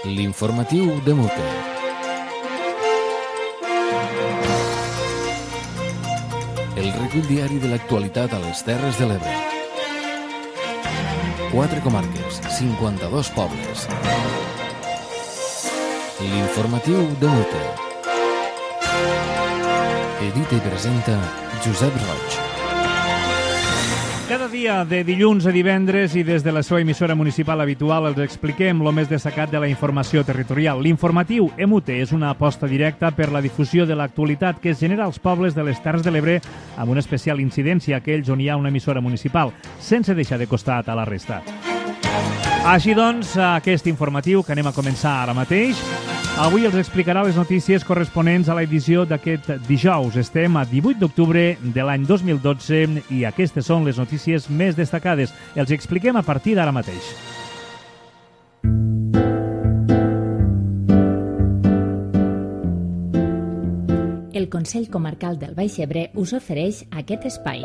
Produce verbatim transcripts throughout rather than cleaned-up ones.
L'informatiu de Mute. El recull diari de l'actualitat a les Terres de l'Ebre. Quatre comarques, cinquanta-dos pobles. L'informatiu de Mute. Edita i presenta Josep Roig. Cada dia, de dilluns a divendres i des de la seva emissora municipal habitual, els expliquem el més destacat de la informació territorial. L'informatiu M U T és una aposta directa per la difusió de l'actualitat que es genera als pobles de les Terres de l'Ebre amb una especial incidència a aquells on hi ha una emissora municipal, sense deixar de costat a la resta. Així doncs, aquest informatiu que anem a començar ara mateix, avui els explicarà les notícies corresponents a l'edició d'aquest dijous. Estem a divuit d'octubre de l'any dos mil dotze i aquestes són les notícies més destacades. Els expliquem a partir d'ara mateix. El Consell Comarcal del Baix Ebre us ofereix aquest espai.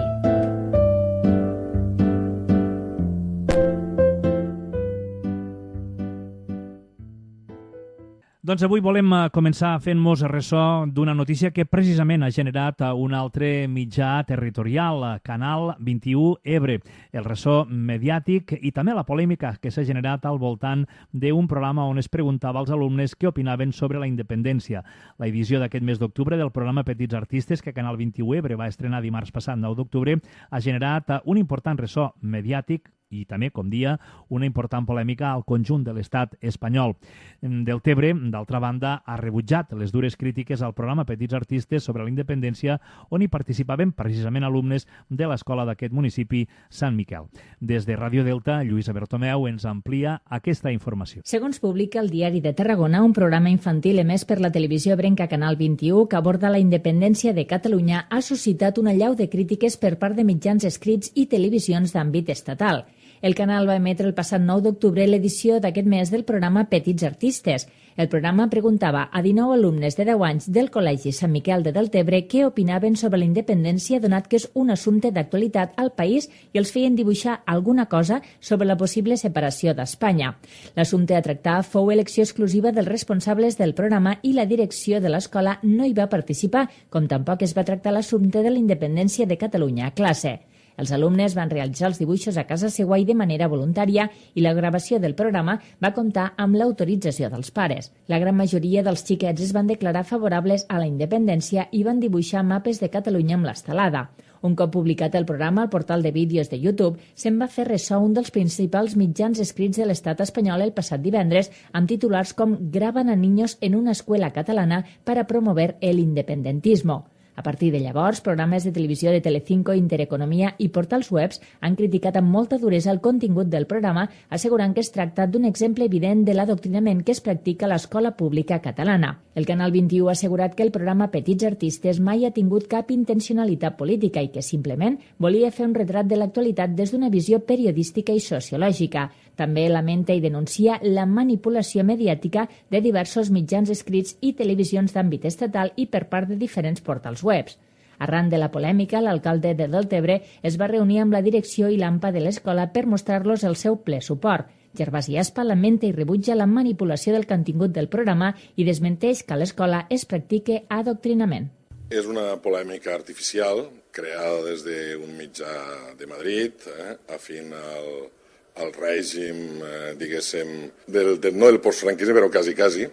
Doncs avui volem començar fent-nos ressò d'una notícia que precisament ha generat un altre mitjà territorial, Canal vint-i-u Ebre. El ressò mediàtic i també la polèmica que s'ha generat al voltant d'un programa on es preguntava als alumnes què opinaven sobre la independència. La edició d'aquest mes d'octubre del programa Petits Artistes, que Canal vint-i-u Ebre va estrenar dimarts passat, nou d'octubre, ha generat un important ressò mediàtic i també, com dia, una important polèmica al conjunt de l'estat espanyol. Deltebre, d'altra banda, ha rebutjat les dures crítiques al programa Petits Artistes sobre la independència, on hi participaven precisament alumnes de l'escola d'aquest municipi, Sant Miquel. Des de Ràdio Delta, Lluïsa Bertomeu ens amplia aquesta informació. Segons publica el Diari de Tarragona, un programa infantil emès per la televisió ebrenca Canal vint-i-u que aborda la independència de Catalunya ha suscitat una allau de crítiques per part de mitjans escrits i televisions d'àmbit estatal. El canal va emetre el passat nou d'octubre l'edició d'aquest mes del programa Petits Artistes. El programa preguntava a dinou alumnes de deu anys del Col·legi Sant Miquel de Deltebre què opinaven sobre la independència, donat que és un assumpte d'actualitat al país i els feien dibuixar alguna cosa sobre la possible separació d'Espanya. L'assumpte a tractar fou elecció exclusiva dels responsables del programa i la direcció de l'escola no hi va participar, com tampoc es va tractar l'assumpte de la independència de Catalunya a classe. Els alumnes van realitzar els dibuixos a casa seva i de manera voluntària i la gravació del programa va comptar amb l'autorització dels pares. La gran majoria dels xiquets es van declarar favorables a la independència i van dibuixar mapes de Catalunya amb l'estelada. Un cop publicat el programa al portal de vídeos de YouTube, se'n va fer ressò un dels principals mitjans escrits de l'estat espanyol el passat divendres amb titulars com «Graban a niños en una escuela catalana para promover el independentismo». A partir de llavors, programes de televisió de Telecinco, Intereconomia i portals webs han criticat amb molta duresa el contingut del programa, assegurant que es tracta d'un exemple evident de l'adoctrinament que es practica a l'escola pública catalana. El Canal vint-i-u ha assegurat que el programa Petits Artistes mai ha tingut cap intencionalitat política i que simplement volia fer un retrat de l'actualitat des d'una visió periodística i sociològica. També lamenta i denuncia la manipulació mediàtica de diversos mitjans escrits i televisions d'àmbit estatal i per part de diferents portals webs. Arran de la polèmica, l'alcalde de Deltebre es va reunir amb la direcció i l'AMPA de l'escola per mostrar-los el seu ple suport. Gervasi Aspa lamenta i rebutja la manipulació del contingut del programa i desmenteix que a l'escola es practique adoctrinament. És una polèmica artificial creada des d'un mitjà de Madrid, eh, afín al el règim, eh, diguéssim, del, del, no del postfranquisme, però quasi, quasi.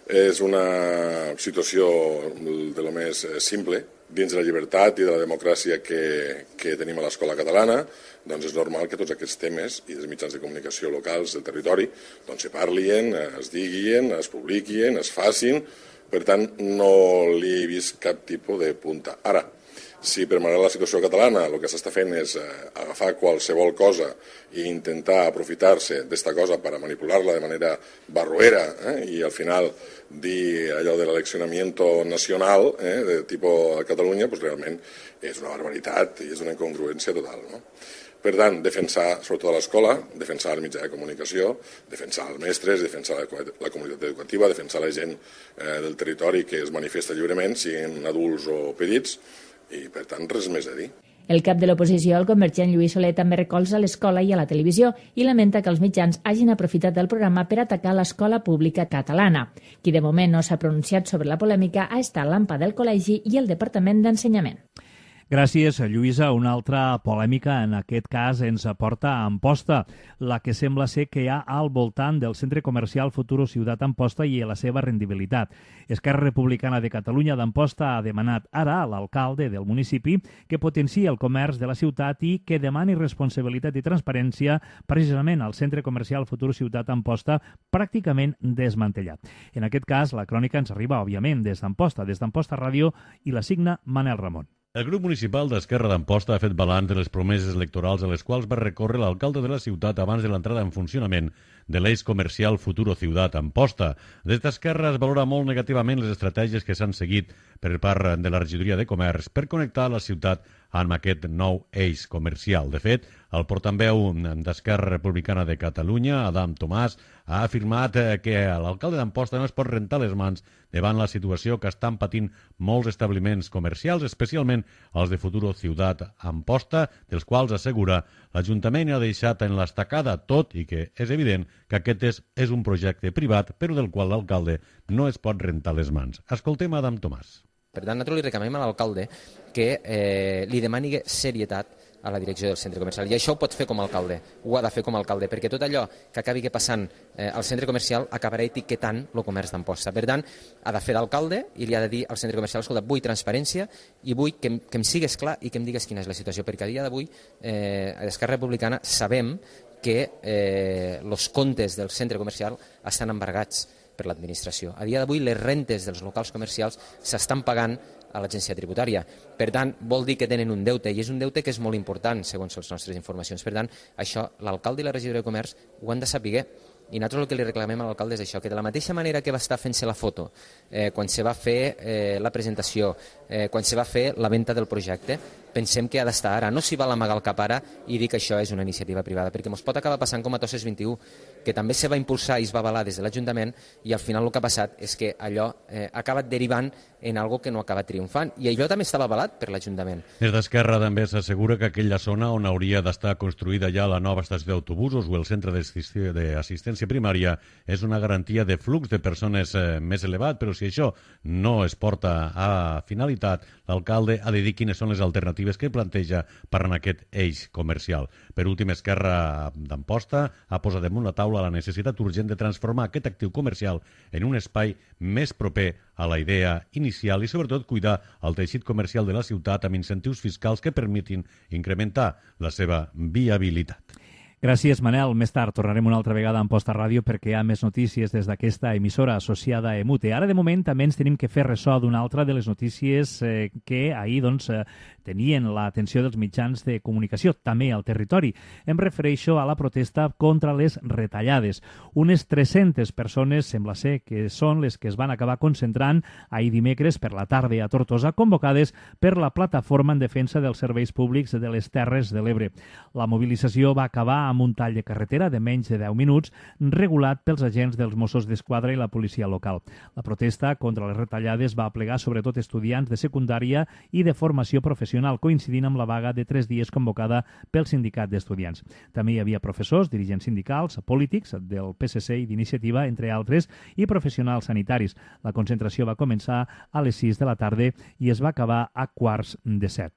És una situació de lo més simple. Dins de la llibertat i de la democràcia que, que tenim a l'escola catalana, doncs és normal que tots aquests temes i dels mitjans de comunicació locals del territori doncs se parlin, es diguin, es publiquin, es facin. Per tant, no li he vist cap tipus de punta. Ara, si per manera la situació catalana el que s'està fent és eh, agafar qualsevol cosa i intentar aprofitar-se d'esta cosa per a manipular-la de manera barroera eh, i al final dir allò de l'eleccionamiento nacional eh, de tipus a Catalunya, doncs realment és una barbaritat i és una incongruència total, no? Per tant, defensar sobretot a l'escola, defensar el mitjà de comunicació, defensar els mestres, defensar la, la comunitat educativa, defensar la gent eh, del territori que es manifesta lliurement, siguin adults o petits, i per tant res més a dir. El cap de l'oposició, el convergent Lluís Soler, també recolza l'escola i a la televisió i lamenta que els mitjans hagin aprofitat el programa per atacar l'escola pública catalana. Qui de moment no s'ha pronunciat sobre la polèmica ha estat l'AMPA del Col·legi i el Departament d'Ensenyament. Gràcies, Lluïsa. Una altra polèmica, en aquest cas, ens aporta a Amposta, la que sembla ser que hi ha al voltant del centre comercial Futuro Ciutat Amposta i la seva rendibilitat. Esquerra Republicana de Catalunya d'Amposta ha demanat ara a l'alcalde del municipi que potenciï el comerç de la ciutat i que demani responsabilitat i transparència precisament al centre comercial Futuro Ciutat Amposta, pràcticament desmantellat. En aquest cas, la crònica ens arriba, òbviament, des d'Amposta, des d'Amposta Ràdio, i la signa Manel Ramon. El grup municipal d'Esquerra d'Amposta ha fet balanç de les promeses electorals a les quals va recórrer l'alcalde de la ciutat abans de l'entrada en funcionament de l'eix comercial Futuro Ciutat Amposta. Des d'Esquerra es valora molt negativament les estratègies que s'han seguit per part de la regidoria de comerç per connectar la ciutat amb aquest nou eix comercial. De fet, el portaveu d'Esquerra Republicana de Catalunya, Adam Tomàs, ha afirmat que l'alcalde d'Amposta no es pot rentar les mans davant la situació que estan patint molts establiments comercials, especialment els de Futuro Ciutat Amposta, dels quals assegura l'Ajuntament ha deixat en l'estacada, tot i que és evident que aquest és, és un projecte privat, però del qual l'alcalde no es pot rentar les mans. Escoltem Adam Tomàs. Per tant, nosaltres li reclamem a l'alcalde que eh, li demani serietat a la direcció del centre comercial. I això ho pot fer com a alcalde, ho ha de fer com a alcalde, perquè tot allò que acabi passant eh, al centre comercial acabarà etiquetant el comerç d'Amposta. Per tant, ha de fer d'alcalde i li ha de dir al centre comercial, escolta, vull transparència i vull que, que em sigues clar i que em digues quina és la situació, perquè a dia d'avui eh, a l'Esquerra Republicana sabem que eh, els comptes del centre comercial estan embargats per l'administració. A dia d'avui les rentes dels locals comercials s'estan pagant a l'agència tributària. Per tant, vol dir que tenen un deute, i és un deute que és molt important, segons les nostres informacions. Per tant, això l'alcalde i la regidora de comerç ho han de saber. I nosaltres el que li reclamem a l'alcalde és això, que de la mateixa manera que va estar fent-se la foto, eh, quan se va fer eh, la presentació, eh, quan se va fer la venda del projecte, pensem que ha d'estar ara. No s'hi val amagar el cap ara i dir que això és una iniciativa privada, perquè ens pot acabar passant com a Tosses vint-i-u, que també se va impulsar i es va avalar des de l'Ajuntament, i al final el que ha passat és que allò eh, ha acabat derivant en algo que no ha acabat triomfant. I allò també estava avalat per l'Ajuntament. Des d'Esquerra també s'assegura que aquella zona on hauria d'estar construïda ja la nova estació d'autobusos o el centre d'assistència primària és una garantia de flux de persones eh, més elevat, però si això no es porta a finalitat, l'alcalde ha de dir quines són les alternatives que planteja per en aquest eix comercial. Per últim, Esquerra d'Amposta ha posat damunt la taula la necessitat urgent de transformar aquest actiu comercial en un espai més proper a la idea inicial i, sobretot, cuidar el teixit comercial de la ciutat amb incentius fiscals que permetin incrementar la seva viabilitat. Gràcies, Manel. Més tard tornarem una altra vegada a Amposta Ràdio perquè hi ha més notícies des d'aquesta emissora associada a Emute. Ara, de moment, també ens tenim que fer ressò d'una altra de les notícies eh, que ahir doncs, eh, tenien l'atenció dels mitjans de comunicació, també al territori. Em refereixo a la protesta contra les retallades. Unes tres-centes persones, sembla ser que són les que es van acabar concentrant ahir dimecres per la tarda a Tortosa, convocades per la Plataforma en Defensa dels Serveis Públics de les Terres de l'Ebre. La mobilització va acabar amb un tall de carretera de menys de deu minuts, regulat pels agents dels Mossos d'Esquadra i la policia local. La protesta contra les retallades va aplegar sobretot estudiants de secundària i de formació professional, coincidint amb la vaga de tres dies convocada pel sindicat d'estudiants. També hi havia professors, dirigents sindicals, polítics del P S C i d'Iniciativa, entre altres, i professionals sanitaris. La concentració va començar a les sis de la tarda i es va acabar a quarts de set.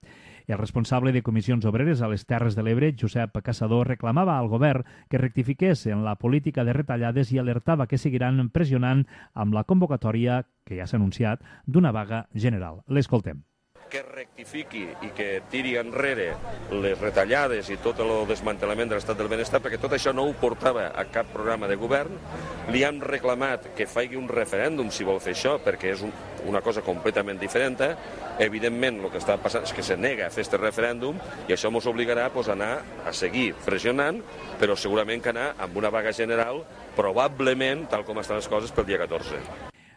El responsable de Comissions Obreres a les Terres de l'Ebre, Josep Caçador, reclamava al govern que rectifiqués en la política de retallades i alertava que seguiran pressionant amb la convocatòria, que ja s'ha anunciat, d'una vaga general. L'escoltem. Que rectifiqui i que tiri enrere les retallades i tot el desmantellament de l'estat del benestar, perquè tot això no ho portava a cap programa de govern. Li hem reclamat que faci un referèndum si vol fer això, perquè és un, una cosa completament diferent. Evidentment, el que està passant és que se nega a fer aquest referèndum i això ens obligarà pues, a anar a seguir pressionant, però segurament que anar amb una vaga general, probablement, tal com estan les coses, pel dia catorze.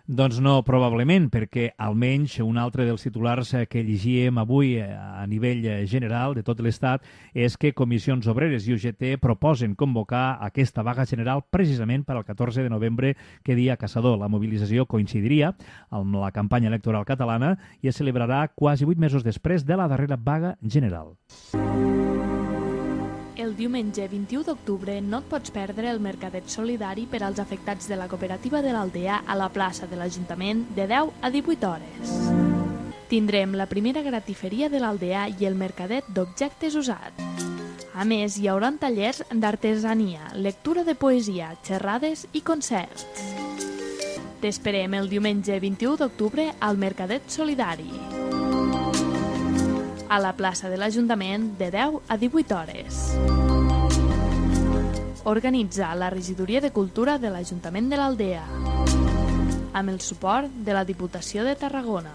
Doncs no, probablement, perquè almenys un altre dels titulars que llegíem avui a nivell general de tot l'Estat és que Comissions Obreres i U G T proposen convocar aquesta vaga general precisament per al catorze de novembre, que dia caçador. La mobilització coincidiria amb la campanya electoral catalana i es celebrarà quasi vuit mesos després de la darrera vaga general. El diumenge vint-i-u d'octubre no et pots perdre el mercadet solidari per als afectats de la cooperativa de l'Aldea a la plaça de l'Ajuntament de deu a divuit hores. Tindrem la primera gratiferia de l'Aldea i el mercadet d'objectes usats. A més, hi haurà tallers d'artesania, lectura de poesia, xerrades i concerts. T'esperem el diumenge vint-i-u d'octubre al mercadet solidari, a la plaça de l'Ajuntament de deu a divuit hores. Organitza la Regidoria de Cultura de l'Ajuntament de l'Aldea, amb el suport de la Diputació de Tarragona.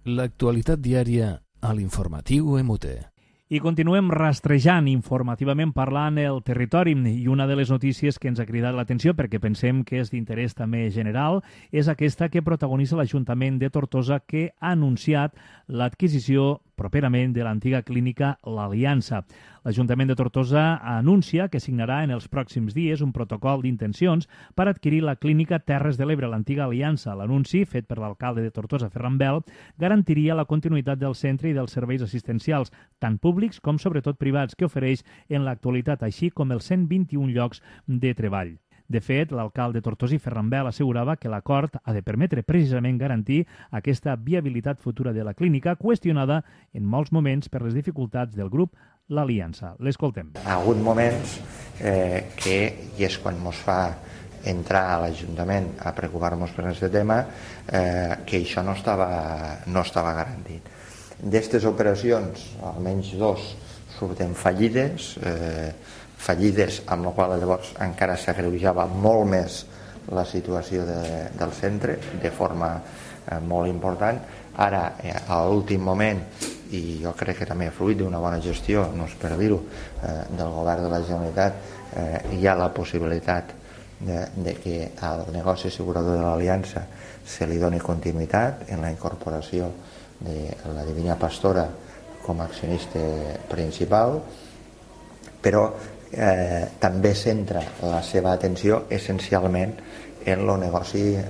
L'actualitat diària a l'informatiu M U T. I continuem rastrejant informativament parlant el territori, i una de les notícies que ens ha cridat l'atenció perquè pensem que és d'interès també general és aquesta que protagonitza l'Ajuntament de Tortosa, que ha anunciat l'adquisició properament de l'antiga clínica L'Aliança. L'Ajuntament de Tortosa anuncia que signarà en els pròxims dies un protocol d'intencions per adquirir la clínica Terres de l'Ebre, l'antiga Aliança. L'anunci, fet per l'alcalde de Tortosa, Ferran Bel, garantiria la continuïtat del centre i dels serveis assistencials, tant públics com sobretot privats, que ofereix en l'actualitat, així com els cent vint-i-un llocs de treball. De fet, l'alcalde tortosí Ferran Bel assegurava que l'acord ha de permetre precisament garantir aquesta viabilitat futura de la clínica, qüestionada en molts moments per les dificultats del grup L'Aliança. L'escoltem. Ha hagut moments eh, que, i és quan ens fa entrar a l'Ajuntament a preocupar-nos per aquest tema, eh, que això no estava, no estava garantit. D'aquestes operacions, almenys dos, surten fallides, eh, fallides, amb la qual llavors encara s'agreujava molt més la situació de, del centre de forma eh, molt important. Ara, eh, a l'últim moment, i jo crec que també fruit d'una bona gestió, no és per dir-ho, eh, del govern de la Generalitat, eh, hi ha la possibilitat de, de que al negoci assegurador de l'Aliança se li doni continuïtat en la incorporació de la Divina Pastora com a accionista principal, però eh, també centra la seva atenció essencialment en el negoci eh,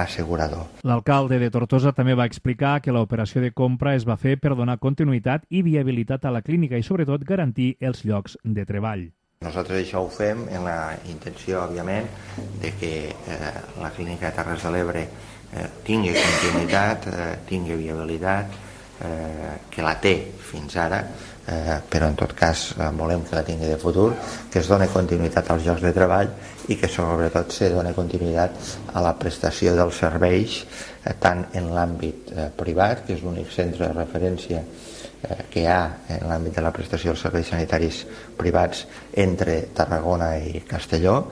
assegurador. L'alcalde de Tortosa també va explicar que l'operació de compra es va fer per donar continuïtat i viabilitat a la clínica i, sobretot, garantir els llocs de treball. Nosaltres això ho fem en la intenció, òbviament, de que eh, la clínica de Terres de l'Ebre eh, tingui continuïtat, eh, tingui viabilitat, eh, que la té fins ara, eh, però en tot cas eh, volem que la tingui de futur, que es doni continuïtat als llocs de treball i que sobretot se doni continuïtat a la prestació dels serveis, eh, tant en l'àmbit eh, privat, que és l'únic centre de referència eh, que hi ha en l'àmbit de la prestació dels serveis sanitaris privats entre Tarragona i Castelló,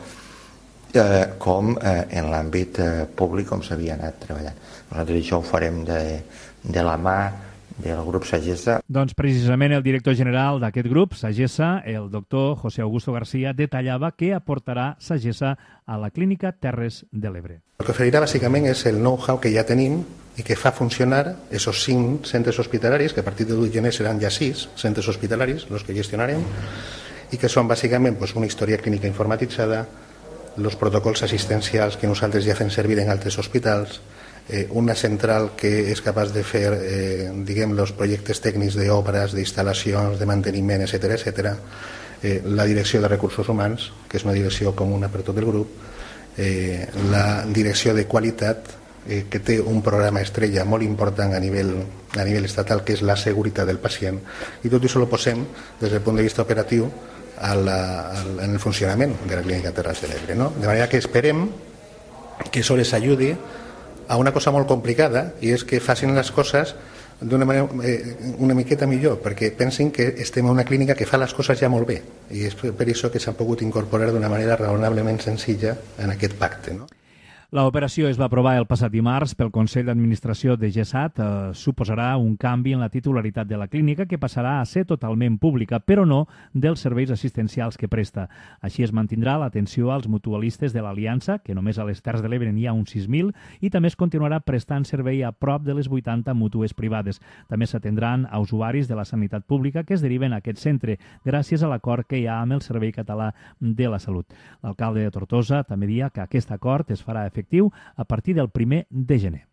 eh, com eh, en l'àmbit eh, públic, com s'havia anat treballant. Nosaltres això ho farem de, de la mà del grup Sagessa. Doncs precisament el director general d'aquest grup, Sagessa, el doctor José Augusto García, detallava què aportarà Sagessa a la clínica Terres de l'Ebre. El que oferirà bàsicament és el know-how que ja tenim i que fa funcionar esos cinc centres hospitalaris, que a partir de l'u de gener seran ja sis centres hospitalaris els que gestionarem, i que són bàsicament pues, una història clínica informatitzada, els protocols assistencials que nosaltres ja fem servir en altres hospitals, Eh, una central que és capaç de fer eh, diguem, els projectes tècnics d'obres, d'instal·lacions, de manteniment, etcètera, etcètera. Eh, la direcció de recursos humans, que és una direcció comuna per tot el grup, eh, la direcció de qualitat, eh, que té un programa estrella molt important a nivell, a nivell estatal, que és la seguretat del pacient, i tot això ho posem des del punt de vista operatiu a la, a la, en el funcionament de la clínica Terres de l'Ebre, no? De manera que esperem que això les ajudi a una cosa molt complicada, i és que facin les coses d'una manera eh, una miqueta millor, perquè pensin que estem en una clínica que fa les coses ja molt bé, i és per això que s'han pogut incorporar d'una manera raonablement senzilla en aquest pacte, no? L'operació es va aprovar el passat dimarts pel Consell d'Administració de GESAT. Eh, suposarà un canvi en la titularitat de la clínica que passarà a ser totalment pública, però no dels serveis assistencials que presta. Així es mantindrà l'atenció als mutualistes de l'Aliança, que només a les Terres de l'Ebre n'hi ha uns sis mil, i també es continuarà prestant servei a prop de les vuitanta mútues privades. També s'atendran a usuaris de la sanitat pública que es deriven a aquest centre, gràcies a l'acord que hi ha amb el Servei Català de la Salut. L'alcalde de Tortosa també dia que aquest acord es farà efectiu a partir del primer de gener.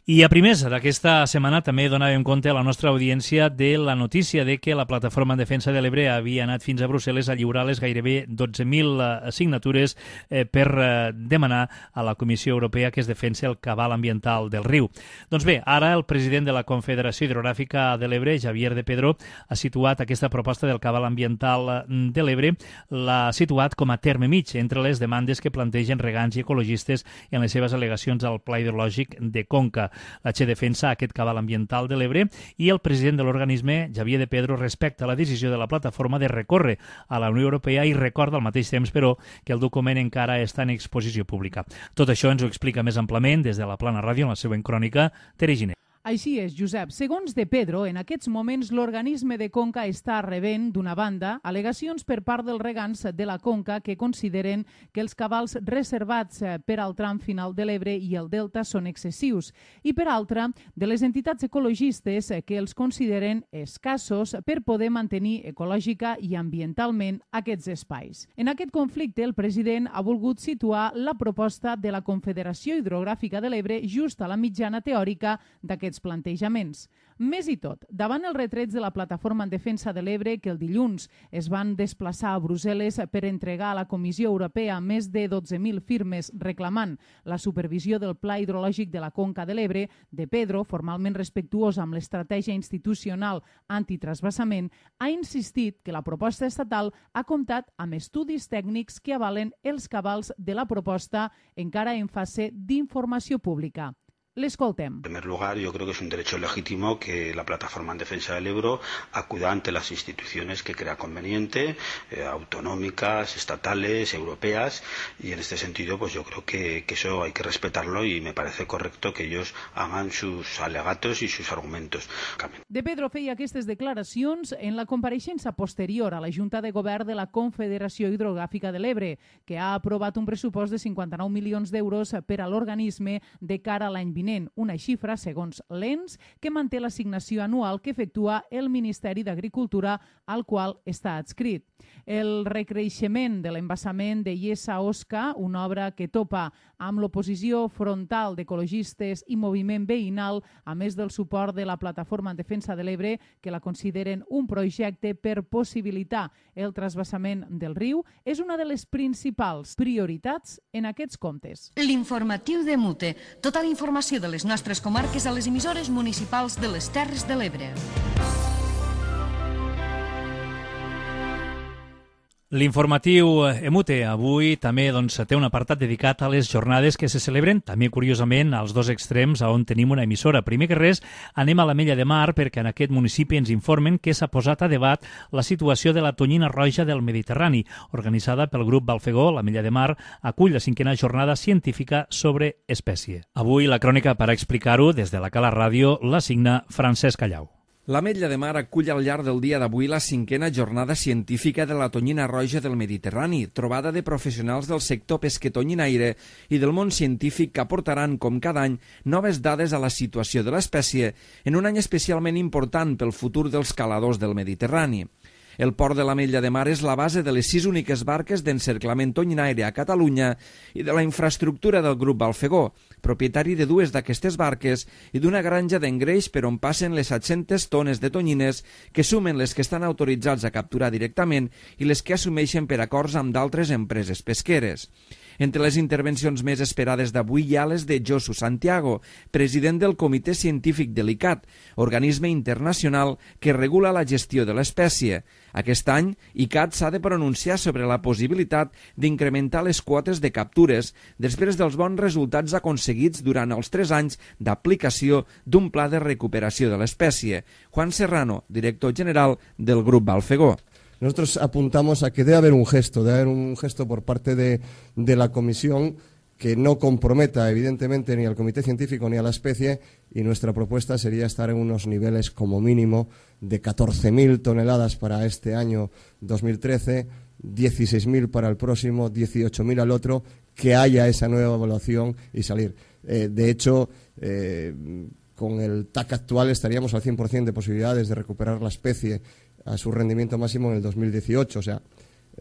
I a primers d'aquesta setmana també donàvem compte a la nostra audiència de la notícia de que la Plataforma en Defensa de l'Ebre havia anat fins a Brussel·les a lliurar les gairebé dotze mil signatures eh, per eh, demanar a la Comissió Europea que es defensi el cabal ambiental del riu. Doncs bé, ara el president de la Confederació Hidrogràfica de l'Ebre, Javier de Pedro, ha situat aquesta proposta del cabal ambiental de l'Ebre, l'ha situat com a terme mig entre les demandes que plantegen regants i ecologistes en les seves al·legacions al Pla Hidrològic de Conca. La Che defensa aquest cabal ambiental de l'Ebre i el president de l'organisme, Javier de Pedro, respecta la decisió de la plataforma de recórrer a la Unió Europea i recorda al mateix temps, però, que el document encara està en exposició pública. Tot això ens ho explica més amplament des de la Plana Ràdio en la següent crònica, Tere Giner. Així és, Josep. Segons de Pedro, en aquests moments l'organisme de Conca està rebent, d'una banda, al·legacions per part dels regants de la Conca que consideren que els cabals reservats per al tram final de l'Ebre i el Delta són excessius i, per altra, de les entitats ecologistes que els consideren escassos per poder mantenir ecològica i ambientalment aquests espais. En aquest conflicte, el president ha volgut situar la proposta de la Confederació Hidrogràfica de l'Ebre just a la mitjana teòrica d'aquests plantejaments. Més i tot, davant els retrets de la Plataforma en Defensa de l'Ebre, que el dilluns es van desplaçar a Brussel·les per entregar a la Comissió Europea més de dotze mil firmes reclamant la supervisió del Pla Hidrològic de la Conca de l'Ebre, de Pedro, formalment respectuós amb l'estratègia institucional antitrasbassament, ha insistit que la proposta estatal ha comptat amb estudis tècnics que avalen els cabals de la proposta encara en fase d'informació pública. L'escoltem. En primer lugar, yo creo que es un derecho legítimo que la Plataforma en Defensa del Ebro acuda ante las instituciones que crea conveniente, eh, autonómicas, estatales, europeas, y en este sentido pues yo creo que, que eso hay que respetarlo y me parece correcto que ellos hagan sus alegatos y sus argumentos. De Pedro feia aquestes declaracions en la compareixença posterior a la Junta de Govern de la Confederació Hidrogràfica de l'Ebre, que ha aprovat un pressupost de cinquanta-nou milions d'euros per a l'organisme de cara a l'any vinent, una xifra, segons l'E N S, que manté l'assignació anual que efectua el Ministeri d'Agricultura, al qual està adscrit. El recreixement de l'embassament de Iessa-Osca, una obra que topa amb l'oposició frontal d'ecologistes i moviment veïnal, a més del suport de la Plataforma en Defensa de l'Ebre, que la consideren un projecte per possibilitar el trasbassament del riu, és una de les principals prioritats en aquests comptes. L'informatiu de Mute. Tota la informació de les nostres comarques a les emissores municipals de les Terres de l'Ebre. L'informatiu Emute avui també doncs, té un apartat dedicat a les jornades que se celebren, també curiosament, als dos extrems on tenim una emissora. Primer que res, anem a l'Ametlla de Mar perquè en aquest municipi ens informen que s'ha posat a debat la situació de la tonyina roja del Mediterrani. Organitzada pel grup Balfegó, l'Ametlla de Mar acull la cinquena jornada científica sobre espècie. Avui la crònica per explicar-ho des de la Cala Ràdio la signa Francesc Callau. L'Ametlla de Mar acull al llarg del dia d'avui la cinquena jornada científica de la tonyina roja del Mediterrani, trobada de professionals del sector pesquetonyinaire i del món científic que aportaran, com cada any, noves dades a la situació de l'espècie en un any especialment important pel futur dels caladors del Mediterrani. El port de l'Ametlla de Mar és la base de les sis úniques barques d'encerclament tonyinaire a Catalunya i de la infraestructura del grup Balfegó, propietari de dues d'aquestes barques i d'una granja d'engreix per on passen les set-centes tones de tonyines que sumen les que estan autoritzats a capturar directament i les que assumeixen per acords amb d'altres empreses pesqueres. Entre les intervencions més esperades d'avui hi ha les de Josu Santiago, president del Comitè Científic de l'I C A T, organisme internacional que regula la gestió de l'espècie. Aquest any, I C A T s'ha de pronunciar sobre la possibilitat d'incrementar les quotes de captures després dels bons resultats aconseguits durant els tres anys d'aplicació d'un pla de recuperació de l'espècie. Juan Serrano, director general del grup Balfegó. Nosotros apuntamos a que debe haber un gesto, debe haber un gesto por parte de, de la Comisión que no comprometa evidentemente ni al comité científico ni a la especie, y nuestra propuesta sería estar en unos niveles como mínimo de catorce mil toneladas para este año dos mil trece, dieciséis mil para el próximo, dieciocho mil al otro, que haya esa nueva evaluación y salir. Eh, de hecho, eh, con el T A C actual estaríamos al cien por cien de posibilidades de recuperar la especie a su rendimiento máximo en el dos mil dieciocho, o sea,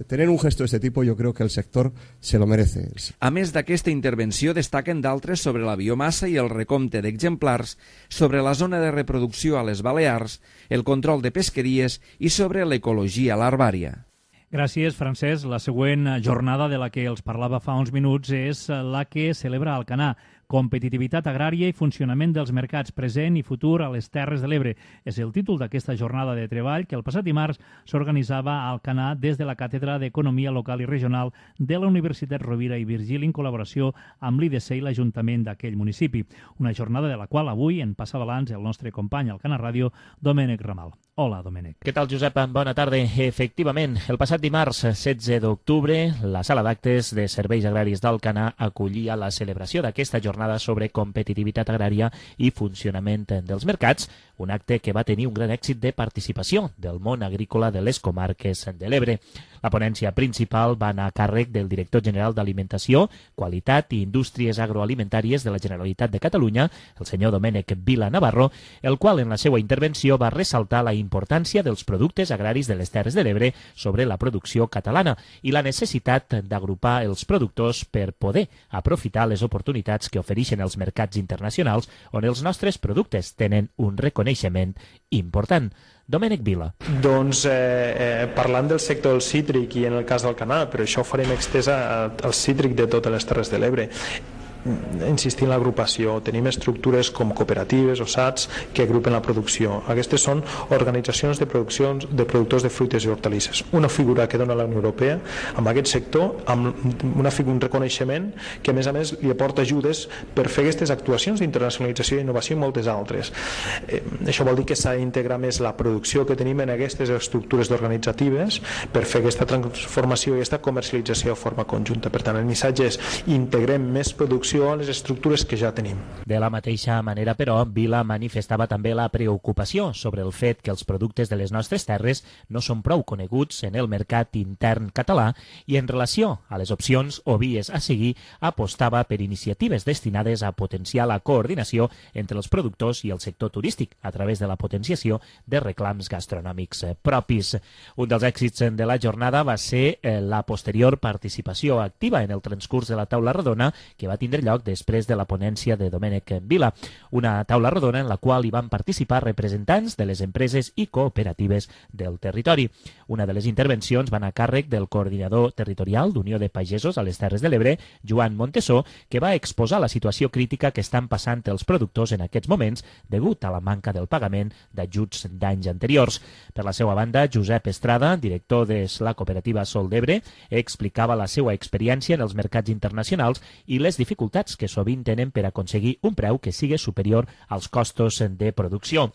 tener un gesto de este tipo jo crec que el sector se lo merece. A més d'aquesta intervenció, destaquen d'altres sobre la biomassa i el recompte d'exemplars, sobre la zona de reproducció a les Balears, el control de pesqueries i sobre l'ecologia larvària. Gràcies, Francesc. La següent jornada de la que els parlava fa uns minuts és la que celebra Alcanar. Competitivitat agrària i funcionament dels mercats present i futur a les Terres de l'Ebre. És el títol d'aquesta jornada de treball que el passat dimarts s'organitzava a Alcanar des de la Càtedra d'Economia Local i Regional de la Universitat Rovira i Virgili en col·laboració amb l'I D C i l'Ajuntament d'aquell municipi. Una jornada de la qual avui en passa balanç el nostre company al Alcanar Ràdio, Domènec Ramal. Hola, Domènec. Què tal, Josep? Bona tarda. Efectivament, el passat dimarts setze d'octubre, la Sala d'Actes de Serveis Agraris d'Alcanar acollia la celebració d'aquesta jornada sobre competitivitat agrària i funcionament dels mercats, un acte que va tenir un gran èxit de participació del món agrícola de les comarques de l'Ebre. La ponència principal va anar a càrrec del director general d'Alimentació, Qualitat i Indústries Agroalimentàries de la Generalitat de Catalunya, el senyor Domènec Vila Navarro, el qual en la seva intervenció va ressaltar la importància dels productes agraris de les Terres de l'Ebre sobre la producció catalana i la necessitat d'agrupar els productors per poder aprofitar les oportunitats que ofereixen els mercats internacionals on els nostres productes tenen un reconeixement important. Domènec Vila. Doncs eh, eh, parlant del sector del cítric i en el cas d'Alcanar, però això ho farem extesa al cítric de totes les Terres de l'Ebre. Insistir en l'agrupació. Tenim estructures com cooperatives o S A Ts que agrupen la producció. Aquestes són organitzacions de, produccions, de productors de fruites i hortalisses. Una figura que dona la Unió Europea amb aquest sector, amb una figura, un reconeixement que a més a més li aporta ajudes per fer aquestes actuacions d'internacionalització i innovació i moltes altres. Eh, això vol dir que s'ha d'integrar més la producció que tenim en aquestes estructures organitzatives per fer aquesta transformació i aquesta comercialització de forma conjunta. Per tant, el missatge és integrem més producció a les estructures que ja tenim. De la mateixa manera, però, Vila manifestava també la preocupació sobre el fet que els productes de les nostres terres no són prou coneguts en el mercat intern català i en relació a les opcions o vies a seguir apostava per iniciatives destinades a potenciar la coordinació entre els productors i el sector turístic a través de la potenciació de reclams gastronòmics propis. Un dels èxits de la jornada va ser la posterior participació activa en el transcurs de la taula rodona que va tindre lloc després de la ponència de Domènec Vila, una taula rodona en la qual hi van participar representants de les empreses i cooperatives del territori. Una de les intervencions va anar a càrrec del coordinador territorial d'Unió de Pagesos a les Terres de l'Ebre, Joan Montesó, que va exposar la situació crítica que estan passant els productors en aquests moments degut a la manca del pagament d'ajuts d'anys anteriors. Per la seva banda, Josep Estrada, director de la cooperativa Sol d'Ebre, explicava la seva experiència en els mercats internacionals i les dificultats que sovint tenen per aconseguir un preu que sigui superior als costos de producció.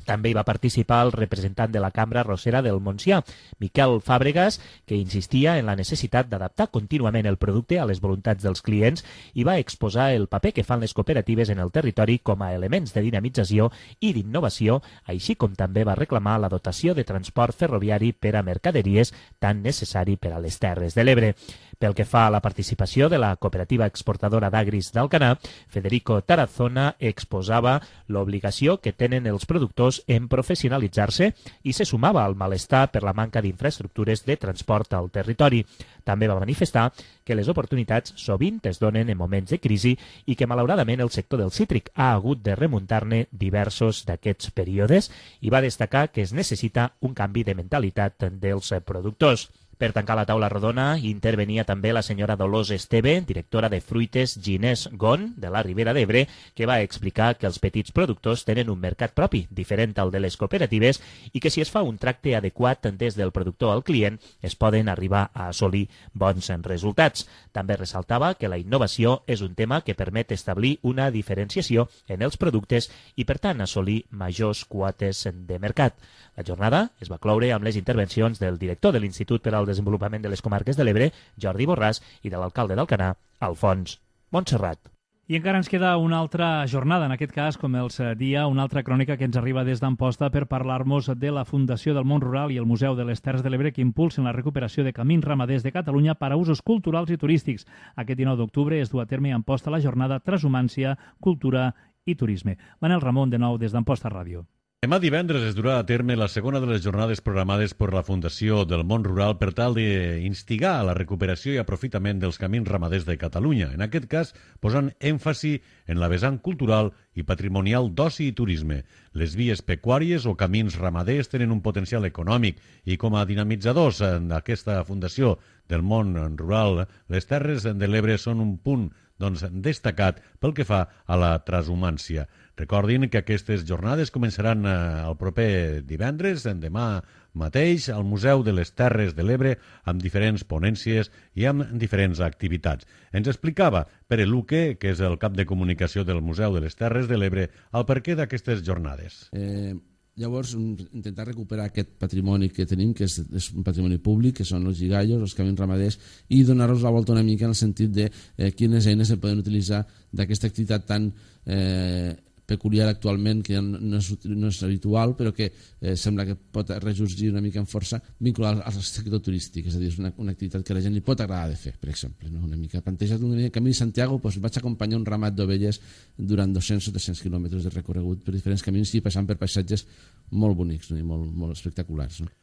També hi va participar el representant de la Cambra Arrossera del Montsià, Miquel Fàbregas, que insistia en la necessitat d'adaptar contínuament el producte a les voluntats dels clients i va exposar el paper que fan les cooperatives en el territori com a elements de dinamització i d'innovació, així com també va reclamar la dotació de transport ferroviari per a mercaderies tan necessari per a les Terres de l'Ebre. Pel que fa a la participació de la cooperativa exportadora d'agris d'Alcanar, Federico Tarazona exposava l'obligació que tenen els productors en professionalitzar-se i se sumava al malestar per la manca d'infraestructures de transport al territori. També va manifestar que les oportunitats sovint es donen en moments de crisi i que malauradament el sector del cítric ha hagut de remuntar-ne diversos d'aquests períodes i va destacar que es necessita un canvi de mentalitat dels productors. Per tancar la taula rodona intervenia també la senyora Dolors Esteve, directora de Fruites Ginés Gon, de la Ribera d'Ebre, que va explicar que els petits productors tenen un mercat propi, diferent al de les cooperatives, i que si es fa un tracte adequat des del productor al client, es poden arribar a assolir bons resultats. També ressaltava que la innovació és un tema que permet establir una diferenciació en els productes i, per tant, assolir majors quotes de mercat. La jornada es va cloure amb les intervencions del director de l'Institut per al Desenvolupament de les Comarques de l'Ebre, Jordi Borràs, i de l'alcalde d'Alcanar, Alfons Montserrat. I encara ens queda una altra jornada, en aquest cas, com els dia, una altra crònica que ens arriba des d'Amposta per parlar-nos de la Fundació del Món Rural i el Museu de les Terres de l'Ebre que impulsen la recuperació de camins ramaders de Catalunya per a usos culturals i turístics. Aquest dinou d'octubre es du a terme a Amposta la jornada Transhumància, Cultura i Turisme. Manel Ramon, de nou, des d'Amposta Ràdio. Demà divendres es durà a terme la segona de les jornades programades per la Fundació del Món Rural per tal d'instigar a la recuperació i aprofitament dels camins ramaders de Catalunya, en aquest cas posant èmfasi en la vessant cultural i patrimonial d'oci i turisme. Les vies pecuàries o camins ramaders tenen un potencial econòmic i com a dinamitzadors d'aquesta Fundació del Món Rural, les Terres de l'Ebre són un punt doncs, destacat pel que fa a la transhumància. Recordin que aquestes jornades començaran eh, el proper divendres, demà mateix, al Museu de les Terres de l'Ebre, amb diferents ponències i amb diferents activitats. Ens explicava Pere Luque, que és el cap de comunicació del Museu de les Terres de l'Ebre, el perquè d'aquestes jornades. Eh, llavors, intentar recuperar aquest patrimoni que tenim, que és, és un patrimoni públic, que són els gigallos, els camins ramaders, i donar-los la volta una mica en el sentit de eh, quines eines se poden utilitzar d'aquesta activitat tan eh, peculiar actualment, que no és, no és habitual, però que eh, sembla que pot ressorgir una mica en força vinculat al sector turístic, és a dir, és una, una activitat que a la gent li pot agradar de fer, per exemple. No? Una mica plantejat un camí de Santiago, doncs vaig acompanyar un ramat d'ovelles durant dos-cents o tres-cents quilòmetres de recorregut per diferents camins i passant per paisatges molt bonics, no? I molt, molt espectaculars. No?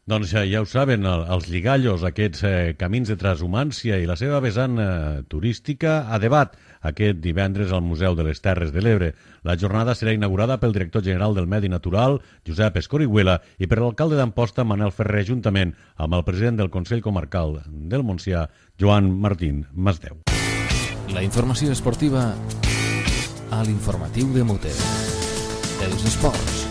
Doncs ja ho saben, els lligallos, aquests eh, camins de transhumància i la seva vessant eh, turística a debat aquest divendres al Museu de les Terres de l'Ebre. La jornada serà inaugurada pel director general del Medi Natural, Josep Escorihuela, i per l'alcalde d'Amposta, Manel Ferrer, juntament amb el president del Consell Comarcal del Montsià, Joan Martín Masdeu. La informació esportiva a l'informatiu de Mute. Els esports.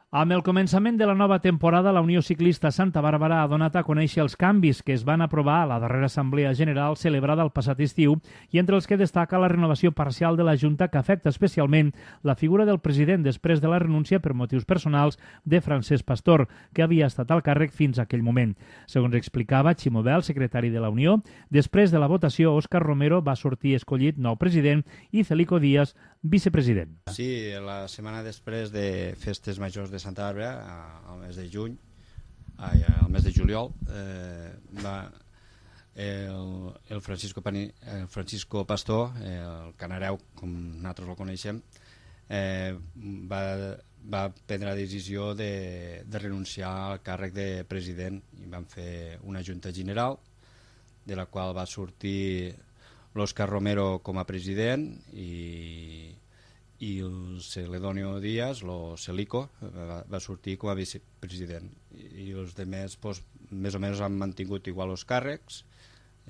Amb el començament de la nova temporada, la Unió Ciclista Santa Bàrbara ha donat a conèixer els canvis que es van aprovar a la darrera Assemblea General celebrada el passat estiu i entre els que destaca la renovació parcial de la Junta que afecta especialment la figura del president després de la renúncia per motius personals de Francesc Pastor, que havia estat al càrrec fins a aquell moment. Segons explicava Ximo Bel, secretari de la Unió, després de la votació, Òscar Romero va sortir escollit nou president i Celico Díaz vicepresident. Sí, la setmana després de Festes Majors de Santa Bàrbara, al mes de juny, ai, al mes de juliol, eh, va el, el, Francisco Pani, el Francisco Pastor, el canareu, com nosaltres el coneixem, eh, va, va prendre la decisió de, de renunciar al càrrec de president i van fer una junta general de la qual va sortir l'Òscar Romero com a president i, i el Celedonio Díaz, el Celico, va, va sortir com a vicepresident. I, i els altres pues, més o menys han mantingut igual els càrrecs.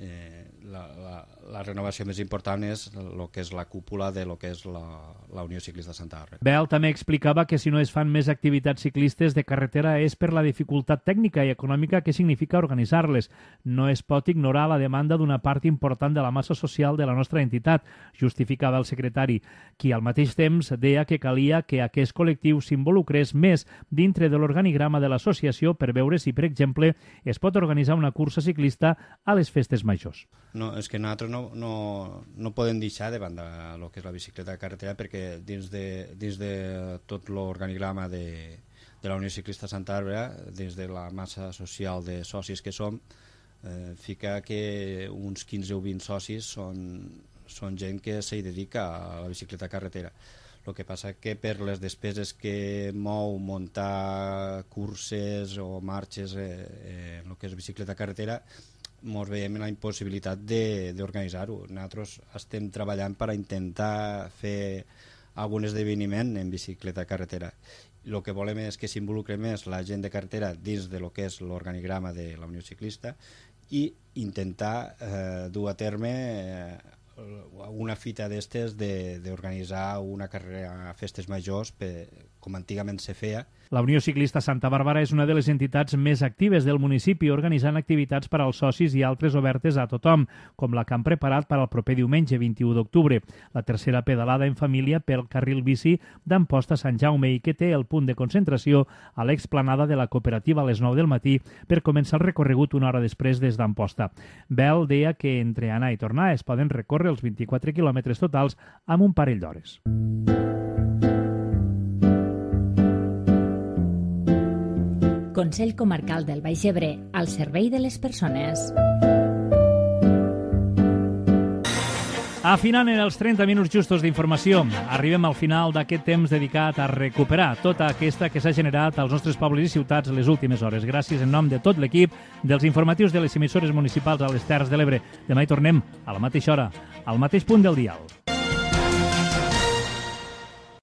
Eh, la, la, la renovació més important és el que és la cúpula de lo que és la, la Unió Ciclista Santa Bàrbara. Bel també explicava que si no es fan més activitats ciclistes de carretera és per la dificultat tècnica i econòmica que significa organitzar-les. No es pot ignorar la demanda d'una part important de la massa social de la nostra entitat, justificava el secretari, qui al mateix temps deia que calia que aquest col·lectiu s'involucrés més dintre de l'organigrama de l'associació per veure si, per exemple, es pot organitzar una cursa ciclista a les festes majors. No, és que nosaltres no, no, no podem deixar de banda el que és la bicicleta de carretera perquè dins de, dins de tot l'organigrama de, de la Unió Ciclista Santa Bàrbara, des de la massa social de socis que som, eh, fica que uns quinze o vint socis són, són gent que s'hi dedica a la bicicleta carretera. El que passa que per les despeses que mou muntar curses o marxes eh, eh, en el que és bicicleta carretera, ens veiem en la impossibilitat d'organitzar-ho. Nosaltres estem treballant per a intentar fer algun esdeveniment en bicicleta carretera. El que volem és que s'involucre més la gent de carretera dins de lo que és l'organigrama de la Unió Ciclista i intentar eh, dur a terme eh, una fita d'estes d'organitzar una carrera a festes majors per, com antigament se feia. La Unió Ciclista Santa Bàrbara és una de les entitats més actives del municipi, organitzant activitats per als socis i altres obertes a tothom, com la que han preparat per al proper diumenge vint-i-u d'octubre, la tercera pedalada en família pel carril bici d'Amposta a Sant Jaume i que té el punt de concentració a l'explanada de la cooperativa a les nou del matí per començar el recorregut una hora després des d'Amposta. Bel deia que entre anar i tornar es poden recórrer els vint-i-quatre quilòmetres totals amb un parell d'hores. Consell Comarcal del Baix Ebre, al servei de les persones. Afinant en els trenta minuts justos d'informació, arribem al final d'aquest temps dedicat a recuperar tota aquesta que s'ha generat als nostres pobles i ciutats les últimes hores. Gràcies en nom de tot l'equip dels informatius de les emissores municipals a les Terres de l'Ebre. Demà hi tornem a la mateixa hora, al mateix punt del dial.